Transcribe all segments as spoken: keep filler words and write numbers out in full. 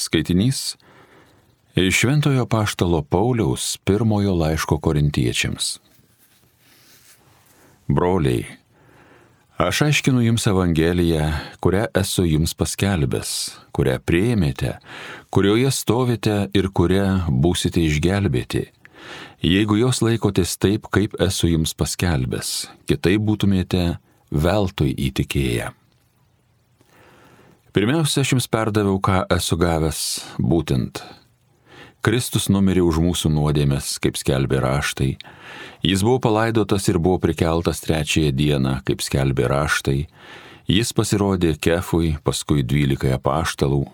Skaitinys iš Šventojo Apaštalo Pauliaus pirmojo laiško Korintiečiams. Broliai, aš aiškinu jums Evangeliją, kurią esu jums paskelbęs, kurią priėmėte, kurioje stovite ir kurią būsite išgelbėti, jeigu jos laikotės taip, kaip esu jums paskelbęs, kitaip būtumėte veltui įtikėję. Pirmiausia, aš jums perdaviau, ką esu gavęs, būtent. Kristus numirė už mūsų nuodėmes, kaip skelbė raštai. Jis buvo palaidotas ir buvo prikeltas trečiąją dieną, kaip skelbė raštai. Jis pasirodė Kefui, paskui dvylikai apaštalų.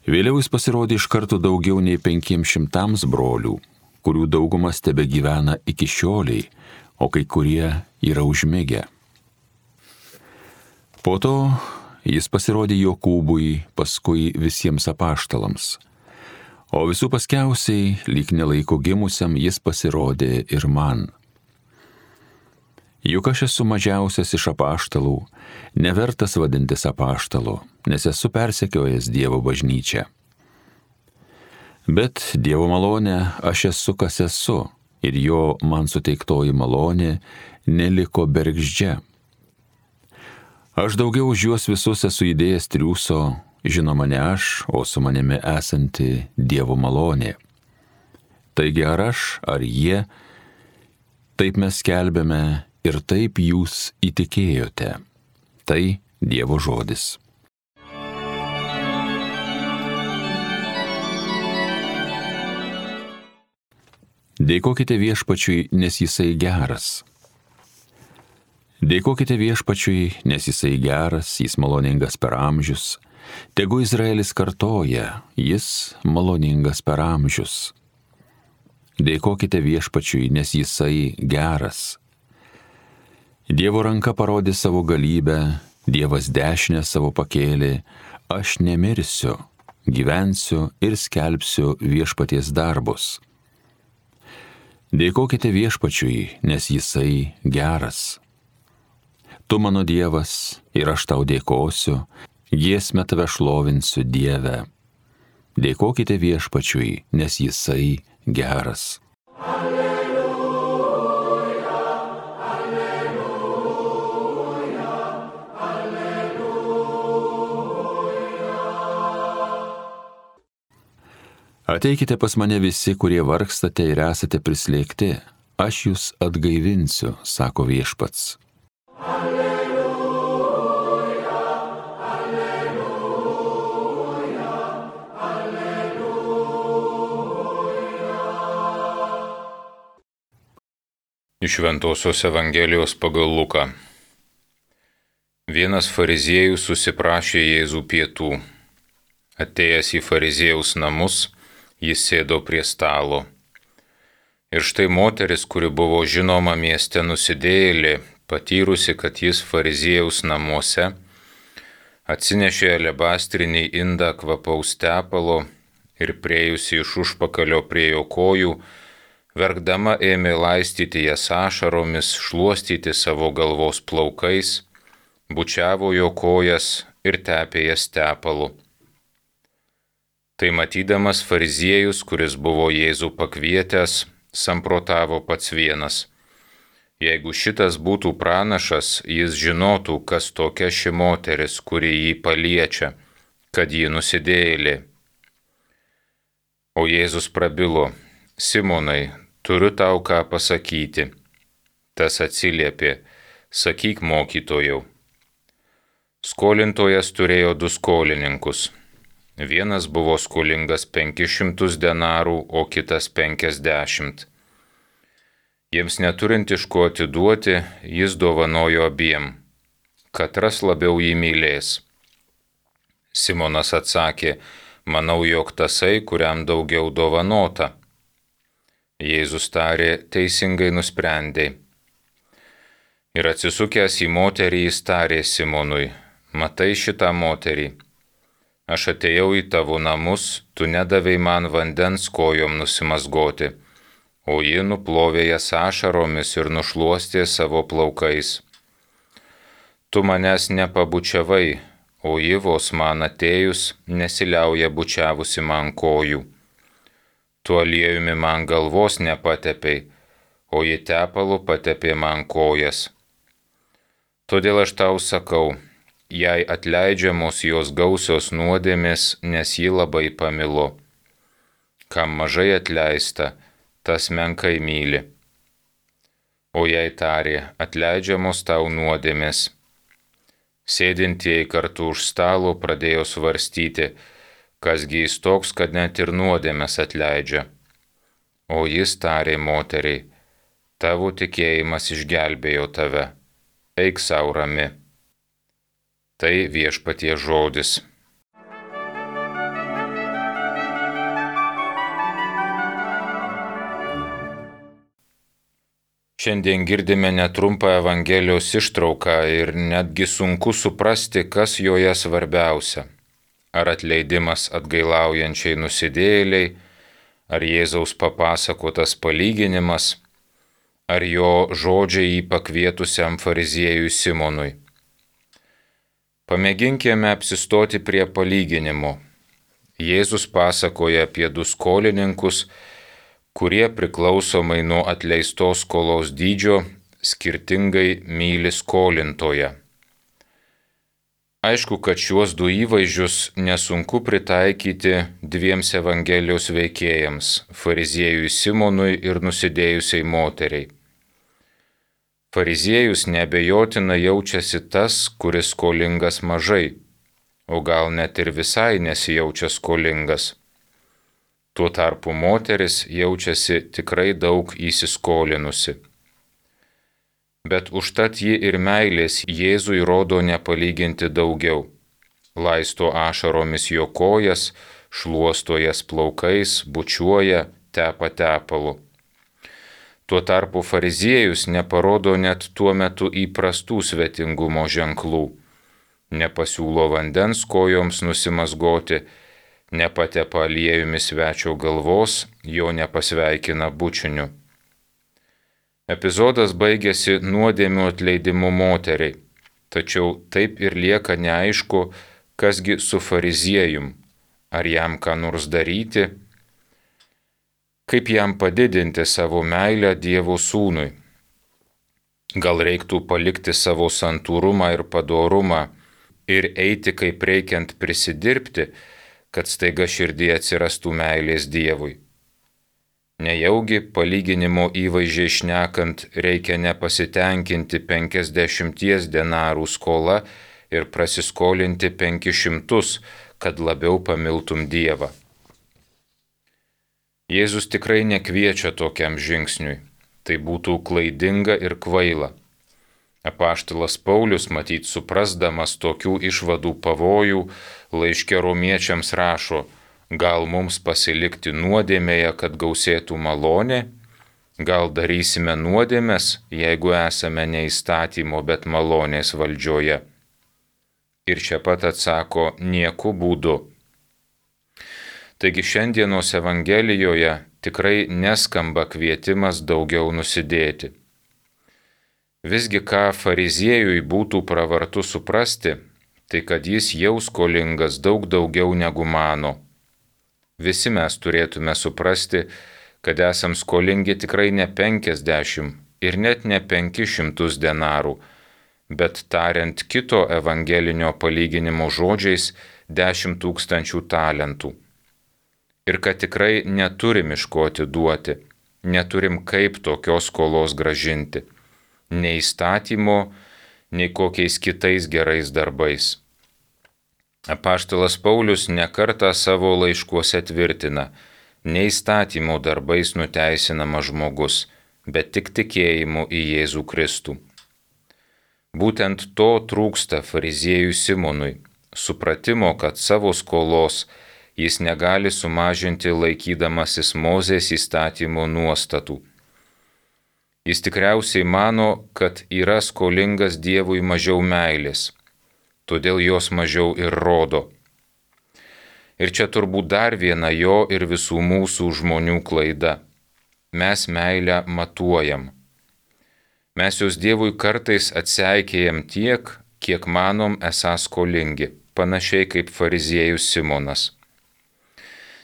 Vėliau jis pasirodė iš karto daugiau nei penkiems šimtams brolių, kurių daugumas tebegyvena iki šioliai, o kai kurie yra užmigę. Po to jis pasirodė Jokūbui, paskui visiems apaštalams. O visų paskiausiai, lyg nelaiko gimusiam, jis pasirodė ir man. Juk aš esu mažiausias iš apaštalų, nevertas vadintis apaštalu, nes esu persekiojęs Dievo bažnyčią. Bet Dievo malonė aš esu, kas esu, ir jo man suteiktoji malonė neliko bergždžia. Aš daugiau už juos visus esu įdėjęs triūso, žinoma ne aš, o su manimi esanti Dievo malonė. Taigi ar aš, ar jie, taip mes skelbėme ir taip jūs įtikėjote. Tai Dievo žodis. Dėkokite Viešpačiui, nes jisai geras. Dėkokite Viešpačiui, nes jisai geras, jis maloningas per amžius. Tegu Izraelis kartoja, jis maloningas per amžius. Dėkokite Viešpačiui, nes jisai geras. Dievo ranka parodė savo galybę, Dievas dešinę savo pakėlė, aš nemirsiu, gyvensiu ir skelbsiu Viešpaties darbus. Dėkokite Viešpačiui, nes jisai geras. Tu mano Dievas ir aš tau dėkosiu, giesmę tave šlovinsiu Dieve. Dėkokite Viešpačiui, nes jisai geras. Alleluja, alleluja, alleluja. Ateikite pas mane visi, kurie vargstate ir esate prislėgti, aš jūs atgaivinsiu, sako Viešpats. Iš Šventosios Evangelijos pagal Luką. Vienas fariziejus susiprašė Jėzų pietų. Atėjęs į fariziejaus namus, jis sėdo prie stalo. Ir štai moteris, kuri buvo žinoma mieste nusidėjėlė, patyrusi, kad jis fariziejaus namuose, atsinešė alebastrinį indą kvapaus tepalo ir priejusi iš užpakalio prie jo kojų, verkdama ėmė laistyti jas ašaromis, šluostyti savo galvos plaukais, bučiavo jo kojas ir tepė jas tepalu. Tai matydamas fariziejus, kuris buvo Jėzų pakvietęs, samprotavo pats vienas. Jeigu šitas būtų pranašas, jis žinotų, kas tokia ši moteris, kuri jį paliečia, kad ji nusidėjėlė. O Jėzus prabilo, Simonai, turiu tau ką pasakyti. Tas atsiliepė, sakyk mokytojau. Skolintojas turėjo du skolininkus. Vienas buvo skolingas penkis šimtus denarų, o kitas penkiasdešimt. Jiems neturint iš ko atiduoti, jis dovanojo abiem. Katras labiau jį mylės. Simonas atsakė, manau, jog tasai, kuriam daugiau dovanota. Jėzus tarė, teisingai nusprendė. Ir atsisukęs į moterį, jis tarė Simonui, matai šitą moterį. Aš atėjau į tavo namus, tu nedavei man vandens kojom nusimazgoti, o ji nuplovė jas ašaromis ir nušluostė savo plaukais. Tu manęs nepabučiavai, o ji vos man atėjus nesiliauja bučiavusi man kojų. Tuo aliejumi man galvos nepatepei, o ji tepalu patepė man kojas. Todėl aš tau sakau, jai atleidžiamos jos gausios nuodėmės, nes ji labai pamilo. Kam mažai atleista, tas menkai myli. O jai tarė, atleidžiamos tau nuodėmės. Sėdintieji kartu už stalo pradėjo svarstyti, kasgi jis toks, kad net ir nuodėmės atleidžia. O jis tarė moteriai, tavo tikėjimas išgelbėjo tave, eik sau rami. Tai Viešpaties žodis. Šiandien girdime netrumpą Evangelijos ištrauką ir netgi sunku suprasti, kas joje svarbiausia. Ar atleidimas atgailaujančiai nusidėjėliai, ar Jėzaus papasakotas palyginimas, ar jo žodžiai jį pakvietusiam fariziejui Simonui. Pamėginkime apsistoti prie palyginimo. Jėzus pasakoja apie du skolininkus, kurie priklausomai nuo atleistos skolos dydžio skirtingai myli skolintoją. Aišku, kad šiuos du įvaizdžius nesunku pritaikyti dviems Evangelijos veikėjams – fariziejui Simonui ir nusidėjusiai moteriai. Fariziejus neabejotinai jaučiasi tas, kuris skolingas mažai, o gal net ir visai nesijaučia skolingas. Tuo tarpu moteris jaučiasi tikrai daug įsiskolinusi. Bet užtat ji ir meilės Jėzui rodo nepalyginti daugiau. Laisto ašaromis jo kojas, šluosto jas plaukais, bučiuoja, tepa tepalu. Tuo tarpu fariziejus neparodo net tuo metu įprastų svetingumo ženklų. Nepasiūlo vandens kojoms nusimazgoti, nepatepa aliejumi svečio galvos, jo nepasveikina bučiniu. Epizodas baigėsi nuodėmių atleidimu moteriai, tačiau taip ir lieka neaišku, kasgi su fariziejum, ar jam ką nors daryti, kaip jam padidinti savo meilę Dievo sūnui. Gal reiktų palikti savo santūrumą ir padorumą ir eiti kaip reikiant prisidirbti, kad staiga širdyje atsirastų meilės Dievui. Nejaugi palyginimo įvaizdžiai šnekant reikia nepasitenkinti penkiasdešimties denarų skola ir prasiskolinti penkis šimtus, kad labiau pamiltum Dievą. Jėzus tikrai nekviečia tokiam žingsniui, tai būtų klaidinga ir kvaila. Apaštalas Paulius, matyt suprasdamas tokių išvadų pavojų, laiške romiečiams rašo, gal mums pasilikti nuodėmėje, kad gausėtų malonė, gal darysime nuodėmes, jeigu esame ne įstatymo, bet malonės valdžioje. Ir čia pat atsako, nieku būdu. Taigi šiandienos Evangelijoje tikrai neskamba kvietimas daugiau nusidėti. Visgi ką fariziejui būtų pravartu suprasti, tai kad jis jau skolingas daug daugiau negu mano. Visi mes turėtume suprasti, kad esam skolingi tikrai ne penkiasdešimt ir net ne penkis šimtus denarų, bet tariant kito evangelinio palyginimo žodžiais dešimt tūkstančių talentų. Ir kad tikrai neturim iš ko atiduoti, neturim kaip tokios skolos gražinti, nei įstatymo, nei kokiais kitais gerais darbais. Apaštalas Paulius nekartą savo laiškuose tvirtina, ne įstatymo darbais nuteisinamas žmogus, bet tik tikėjimu į Jėzų Kristų. Būtent to trūksta fariziejui Simonui, supratimo, kad savo skolos jis negali sumažinti laikydamasis Mozės įstatymo nuostatų. Jis tikriausiai mano, kad yra skolingas Dievui mažiau meilės, todėl jos mažiau ir rodo. Ir čia turbūt dar viena jo ir visų mūsų žmonių klaida. Mes meilę matuojam. Mes jos Dievui kartais atseikėjam tiek, kiek manom esą skolingi, panašiai kaip fariziejus Simonas.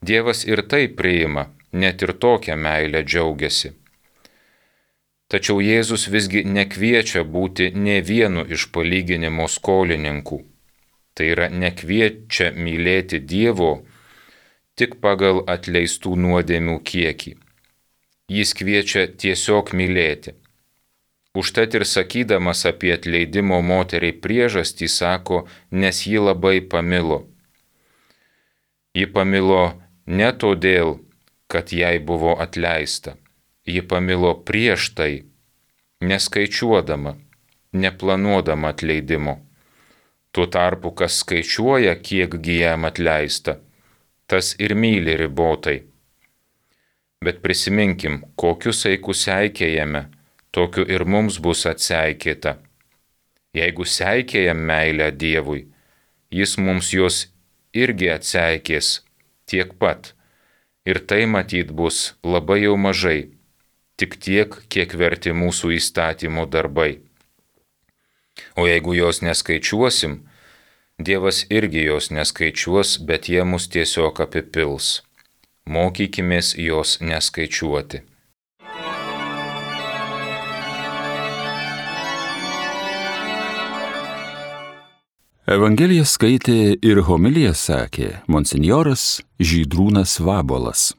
Dievas ir tai priima, net ir tokią meilę džiaugiasi. Tačiau Jėzus visgi nekviečia būti ne vienu iš palyginimo skolininkų. Tai yra nekviečia mylėti Dievo tik pagal atleistų nuodėmių kiekį. Jis kviečia tiesiog mylėti. Užtat ir sakydamas apie atleidimo moteriai priežastį sako, nes ji labai pamilo. Ji pamilo ne todėl, kad jai buvo atleista. Ji pamilo prieš tai, neskaičiuodama, neplanuodama atleidimo. Tuo tarpu, kas skaičiuoja, kiekgi jam atleista, tas ir myli ribotai. Bet prisiminkim, kokiu saiku seikėjame, tokiu ir mums bus atseikėta. Jeigu seikėjam meilę Dievui, jis mums jos irgi atseikės tiek pat. Ir tai matyt bus labai jau mažai, tik tiek, kiek verti mūsų įstatymų darbai. O jeigu jos neskaičiuosim, Dievas irgi jos neskaičiuos, bet jie mus tiesiog apipils. Mokykimės jos neskaičiuoti. Evangeliją skaitė ir homiliją sakė monsinjoras Žydrūnas Vabolas.